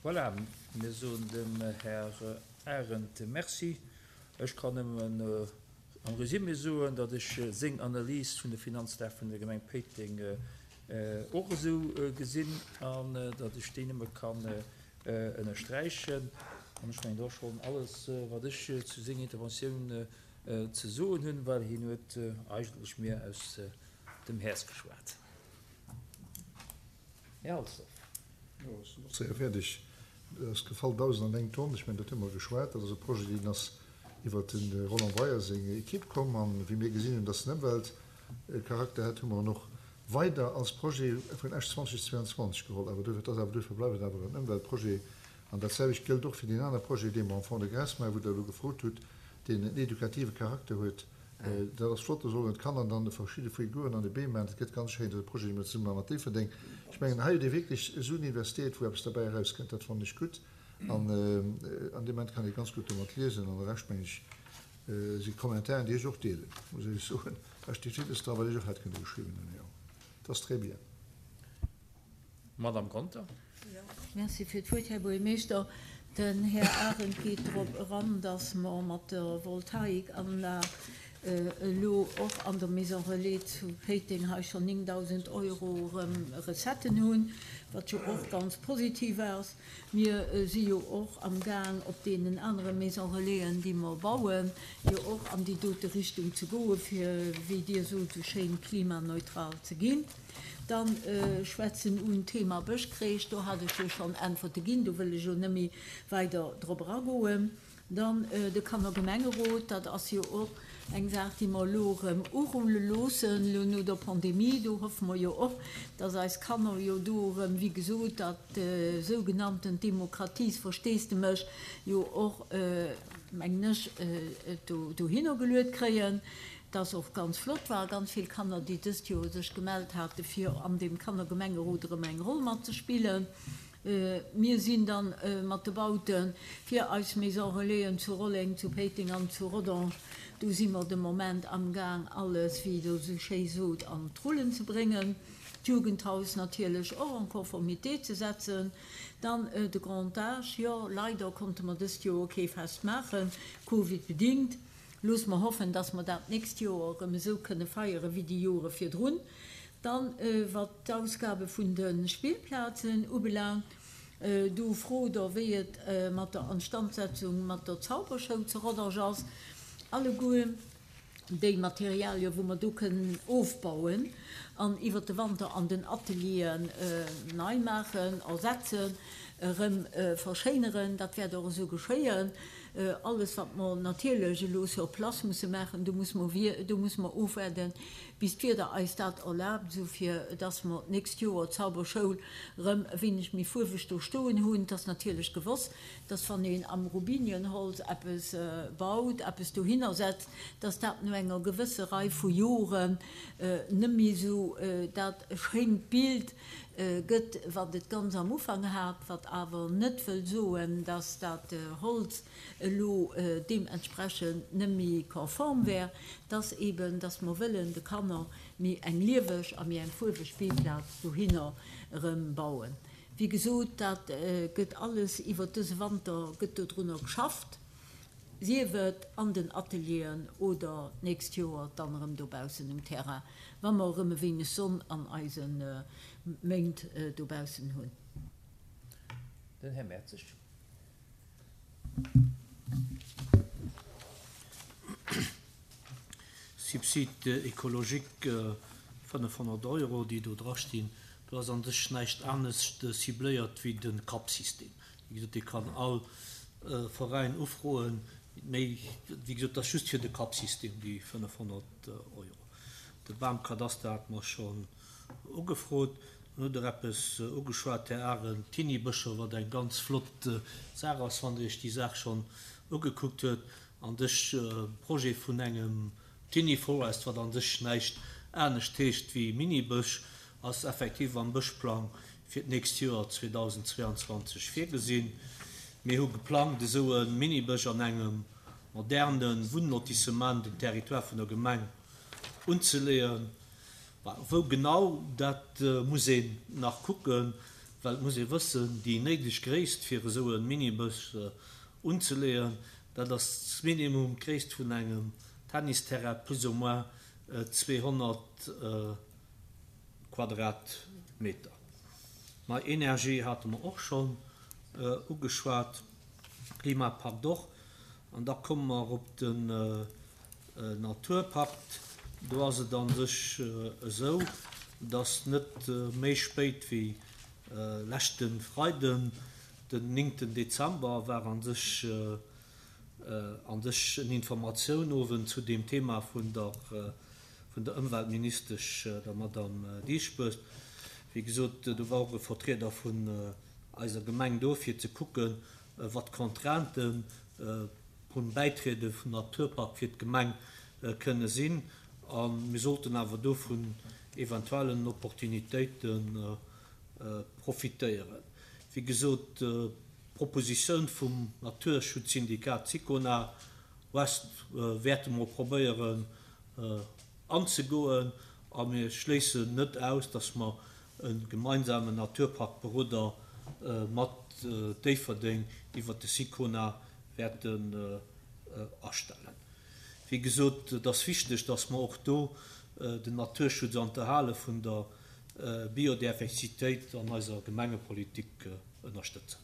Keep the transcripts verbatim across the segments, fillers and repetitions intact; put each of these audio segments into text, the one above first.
Voilà, mir soen dem Här Arendt Merci. Ech kann nëmmen am Résumé soen, datt ech seng Analys vun de Finanzlag vun der Gemeng Péiteng och esou gesinn an datt ech déi nëmme kann ënnersträichen. An ech mengen, dat ass schonn alles, wat ech zu senger Interventioun ze soen hunn, well hien huet eigentlech mir aus dem Häerz geschwat. Här Halsdorf. Jo, ech sinn och séier fäerdeg. Et ass gefall, dausend an eng Tonn. Ech mengen, dat hu mer geschwat. Dat ass e Projet, deen ass iwwert de Roland Breyer seng Equipe komm. An wéi mir gesinn hunn, dass en Ëmweltcharakter hätt, hu mer en och weider als Projet vun Esch zweitausendzweiundzwanzeg geholl. Awer duerfir, et ass awer, duerfir bleift et awer en Ëmweltprojet. An dat selwecht gëllt och fir deen anere Projet, dee mer am Fonds de Gras maachen, wou Der elo gefrot hutt, deen en edukative Charakter huet. Dat ass flott, do sollen d'Kanner dann verschidde Figuren an de Beem maachen. Dat gëtt ganz schéin. Dat ass e Projet, dee mer zesumme mat Déifferdeng, ech mengen, hei huet ee wierklech Suen investiert, wou eppes derbäi erauskënnt. Dat fannen ech gutt. An an deem Moment kann ee ganz gutt domat liesen. An de Rescht, mengen ech, si Kommentaren, déi ech och deelen, muss ech soen. Da steet villes dra, wat ech och hätt kënne geschriwwen hunn. Jo, dat ass très bien. Madame Conter. Merci fir d'Wuert, Här Buergermeeschter. Den Här Arendt geet drop eran, dass mer mat der Voltaikanlag elo och an der Maison Relais zu Péiteng hei schonn néngdausend Euro erëm Recetten hunn, wat jo och ganz positiv ass. Mir si jo och amgaang op deenen anere Maison Relaisen, déi mer bauen, jo och an déi dote Richtung ze goen, fir, wéi Dir sot esou schéin, klimaneutral ze ginn. Dann schwätzen un Thema Bëschkreesch, do hat ech jo schonn Äntwerte ginn, do wëll ech elo net méi weider drop eragoen. Dann de Kannergemengerot, dat ass jo och eng Saach, déi mer elo erëm urulle loossen, elo no der Pandemie. Do hoffe mer jo och, dass eis Kanner jo do erëm, wéi gesot, dat sougenanntent Demokratiesversteesdemech jo och, mengen ech, dohinner geluet kréien. Dat ass och ganz flott, ware ganz vill Kanner, déi dëst Joer sech gemellt hate fir an deem Kannergemengerot erëm eng Roll matzespillen. Mir sinn dann mat de Baute fir eis Maison Relaisen zu Rolleng, zu Péiteng an zu Rodange, do si mer de Moment amgaang alles, wéi Der esou schéi sot, an d'Rullen ze bréngen. D'Jugendhaus natierlech och en conformité ze setzen. Dann de Grand Âge, jo, leider konnte mer dëst Joer kee Fest maachen, Covid-bedingt. Loosse mer hoffen, dass mer dat d'nächst Joer erëm esou kënne feiere wéi déi Jore virdrun. Dann, wat d'Ausgabe vun de Spillplazen ubelaangt, do frot Der, wéi et mat der Instandsetzung mat der Zauberschoul zu Rodange ass. Alleguer déi Materialien, wou mer do kënnen ofbauen an iwwert de Wanter an den Atelieren nei maachen, ersetzen, erëm verschéineren, dat wäert och esou geschéien. Alles, wat mer natierlech elo sur place musse maachen, do muss mer, do muss mer ofwaarden, bis d'Wieder eis dat erlaabt, esou fir dass mer d'nächst Joer d'Zauberschoul erëm e wéineg méi fuerweg do stoen hunn. Et ass natierlech gewosst, dass wann een am Robinienholz eppes baut, eppes dohinner setzt, dass dat no enger gewësse Rei vu Joren net méi esou dat schéint Bild gëtt, wat et ganz am Ufank hat, wat awer net wëll soen, dass dat Holz elo deementsprechend net méi konform wär, dass eben, dass mer wëllen de Kanner méi eng lieweg a méi eng fuerweg Spillplaz dohinner erëm bauen. Wéi gesot, dat gëtt alles iwwert dëse Wanter gëtt dodrunner geschafft, sief et an den Atelieren oder d'nächst Joer dann erëm dobaussen um Terrain, wa mer erëm e wéineg Sonn an eise Méint dobaussen hunn. Den Här Mertzig. Subside écologique fënnefhonnert Euro, déi do drastinn, do ass an sech näischt anescht cibléiert wéi de Cap-System. Wéi gesot, dee kann all Veräin ufroen, méi, wéi gesot, dat ass just fir de Cap-System, déi fënnefhonnert Euro. De Bamkadaster hate mer schonn ugefrot. Dann hutt Der eppes ugeschwat, Här Arendt, d'Hinnibëscher, wat eng ganz flott Saach ass, wann Der Iech déi Saach schonn ugekuckt huet. An dech Projet vun engem Tiny Forest, wat an sech näischt anescht heescht wéi Minibësch, ass effektiv am Bëschplang fir d'nächst Joer zweedausendzweiundzwanzeg virgesinn. Mir hu geplangt, esou e Minibësch an engem moderne Wunnlotissement um Territoire vun der Gemeng unzeleeën. Wou genau, dat muss een nach kucken, Well et muss ee wëssen, déi néideg Gréisst fir esou e Minibus unzeleeën, dat ass minimum d'Gréisst vun engem Tennisterrain, plus ou moins zweehonnert Quadratmeter. Nei Energie hate mer och schonn ugeschwat, Klimapakt och. An da komme mer op den Naturpakt. Do ass et a sech esou, dass net méi spéit wéi leschte Freiden, den néngten Dezember, war a sech an sech en Informatiounowend zu deem Thema vun der vun der Ëmweltministesch, der Madame Dieschbourg. Wéi gesot, do war och e Vertrieder vun eiser Gemeng do, fir ze kucken, wat d'Contrainten vum Bäitriede vum Naturpark fir d'Gemeng kënne sinn. A mir sollten awer do vun eventuellen Opportunitéite profitéieren. Wéi gesot, d'Propositioun vum Naturschutzsyndikat Sicona West wäerte mer probéieren anzegoen a mir schléissen net aus, dass mer e gemeinsamen Naturparkberoder mat Déifferdeng iwwert de Sicona wäerten astellen. Wéi gesot, et ass wichteg, dass mer och do den Naturschutz an d'Erhale vun der Biodiversitéit an eiser Gemengepolitik ënnerstëtzen.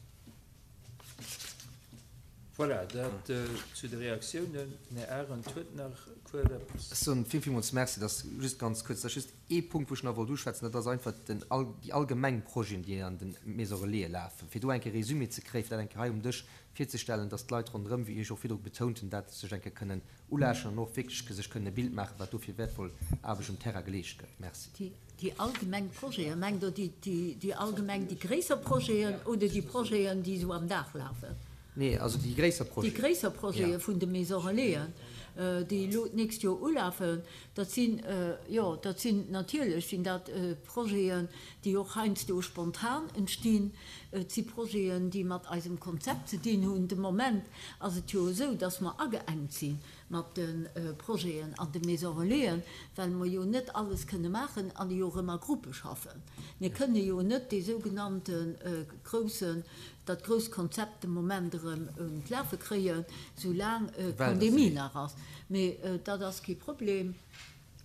Voilà, dat zu de Reaktiounen. Den Här Arendt huet nach kuerz eppes. Ech soen vill, villmools Merci. Dat ass just ganz kuerz, dat ass just ee Punkt, wou ech nach wollt uschwätzen, dat ass einfach den, déi allgemeng Projeten, déi an de Maisons Relaisen lafen, fir do eng Kéier e Résumé ze kréien, fir dat eng Kéier hei um Dësch virzestellen, dass d'Leit ronderëm, wéi ech och virdru betount hunn, dat sech eng Kéier kënnen ulauschteren an och wierklech sech kënnen e Bild maachen, wat do fir wäertvoll Aarbecht um Terrain geleescht gëtt. Merci. Déi allgemeng Projeten, mengt Der déi allgemeng, déi gréisser Projeten oder déi Projeten, déi esou am Dag lafen? Nee, also déi gréisser Projeten. Déi gréisser Projete vun de Maisons Relaisen, déi elo d'nächst Joer ulafen, dat sinn, jo, dat sinn natierlech sinn dat Projeten, déi och heiansdo spontan entstinn. Et si Projeten, déi mat eisem Konzept ze dinn hunn. De Moment ass et jo esou, dass mer ageengt si mat de Projeten an de Maisons Relaisen, well mer jo net alles kënne maachen an jo och ëmmer a Gruppe schaffen. Mir kënne jo net dee sougenannte groussen, dat grousst Konzept de Moment erëm un d'Lafe kréien, soulaang d'Pandemie nach ass. Mee dat ass kee Problem.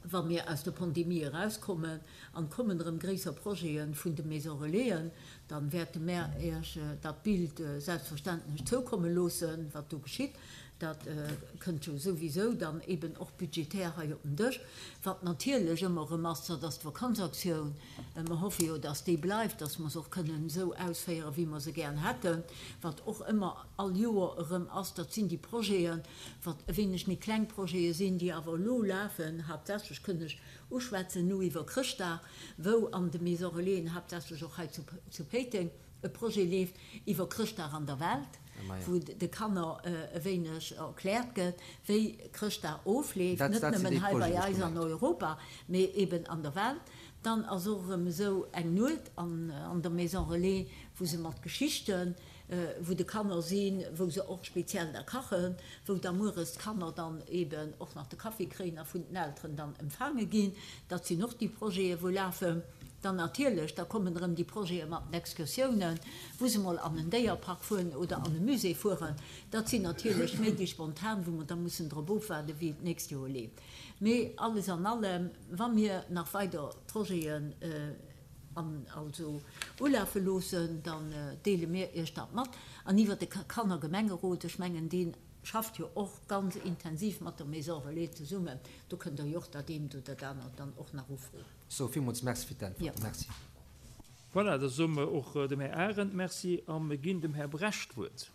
Wa mir aus der Pandemie erauskommen an kommen erëm gréisser Projete vun de Maisons Relaisen, da wäerte mär Iech dat Bild selbstverständlech zoukomme loossen, wat do geschitt. Dat kënnt jo souwisou dann eben och budgetär hei op den Dësch. Wat natierlech ëmmer erëm ass, dat ass d'Vakanzaktioun. Mer hoffe jo, dass déi bleift, dass mer se och kënnen esou ausféieren, wéi mer se gären hätten. Wat och ëmmer all Joer erëm ass, dat sinn déi Projeten, wat e wéineg méi kleng Projete sinn, déi awer elo lafen, haaptsächlech kënn ech uschwätzen no iwwer Chrëschtdag, wou an de Maisons Relaisen, haaptsächlech och hei zu Péiteng, e Projet leeft iwwer Chrëschtdag an der Welt, wou de Kanner e wéineg erkläert gëtt, wéi Chrëschtdag ofleeft, net nëmmen hei bei eis an Europa, mee eben an der Welt. Dann ass och erëm esou eng Nuet an der Maison Relais, wou se mat Geschichten, wou de Kanner sinn, wou se och speziell da kachen, wou da mueres d'Kanner dann eben och nach de Kaffi kréien a vun den Elteren dann empfaange ginn. Dat sinn och déi Projete wou lafen. Dann natierlech, da kommen erëm déi Projete mat den Excursiounen, wou se mol an en Déierpark fueren oder an e Musée fueren. Dat sinn natierlech méi déi spontan, wou mer da mussen drop ofwaarden, wéi et d'nächst Joer leeft. Mee alles an allem, wa mir nach weider Projeten an also ulafe loossen, dann deele mir Iech dat mat. An iwwert de Kannergemengerot, ech mengen, dee schafft jo och ganz intensiv mat der Maison Relais zesummen, do kënnt Der jo och dat eent oder dat anert dann och nach ufroen. Sou, villmools Merci fir d'Äntwerten. Merci. Voilà, da soe mer och dem Här Arendt Merci a mir ginn dem Här Bresch d'Wuert.